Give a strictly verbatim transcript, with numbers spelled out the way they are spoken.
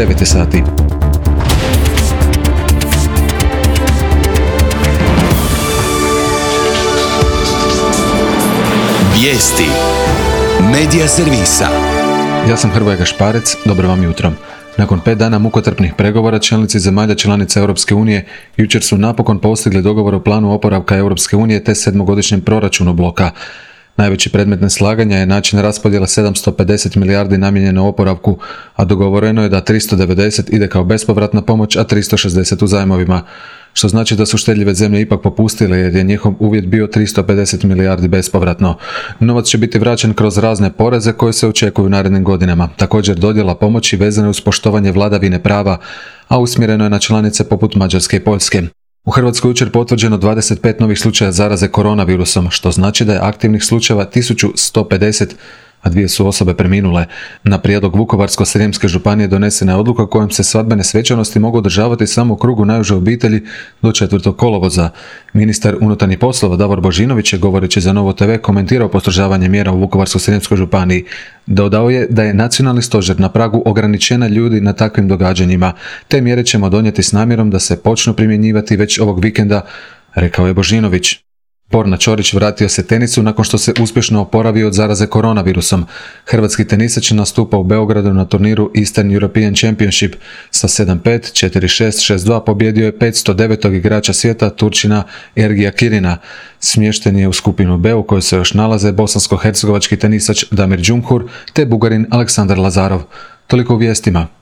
devet je sati. Vijesti Medija servisa. Ja sam Hrvoje Gašparec, dobro vam jutro. Nakon pet dana mukotrpnih pregovora, čelnici zemalja članica Europske unije jučer su napokon postigli dogovor o planu oporavka Europske unije te sedmogodišnjem proračunu bloka. Najveći predmet neslaganja je način raspodjela sedamsto pedeset milijardi namijenjeno oporavku, a dogovoreno je da tristo devedeset ide kao bespovratna pomoć, a tristo šezdeset u zajmovima. Što znači da su štedljive zemlje ipak popustile jer je njihov uvjet bio tristo pedeset milijardi bespovratno. Novac će biti vraćen kroz razne poreze koje se očekuju u narednim godinama. Također dodjela pomoći vezane uz poštovanje vladavine prava, a usmjereno je na članice poput Mađarske i Poljske. U Hrvatskoj jučer potvrđeno dvadeset pet novih slučaja zaraze koronavirusom, što znači da je aktivnih slučajeva tisuću sto pedeset, a dvije su osobe preminule. Na prijedlog Vukovarsko-srijemske županije donesena je odluka kojom se svadbene svečanosti mogu održavati samo u krugu najuže obitelji do četvrtog kolovoza. Ministar unutarnjih poslova Davor Božinović je, govoreći za Novo te ve, komentirao postrožavanje mjera u Vukovarsko-srijemskoj županiji. Dodao je da je nacionalni stožer na pragu ograničenja ljudi na takvim događanjima. Te mjere ćemo donijeti s namjerom da se počnu primjenjivati već ovog vikenda, rekao je Božinović. Borna Ćorić vratio se tenisu nakon što se uspješno oporavio od zaraze koronavirusom. Hrvatski tenisač nastupa u Beogradu na turniru Eastern European Championship. Sa sedam pet, četiri šest, šest dva pobjedio je petsto devetog igrača svijeta, Turčina Ergija Kirina. Smješten je u skupinu B u kojoj se još nalaze bosansko-hercegovački tenisač Damir Džumhur te Bugarin Aleksandar Lazarov. Toliko u vijestima.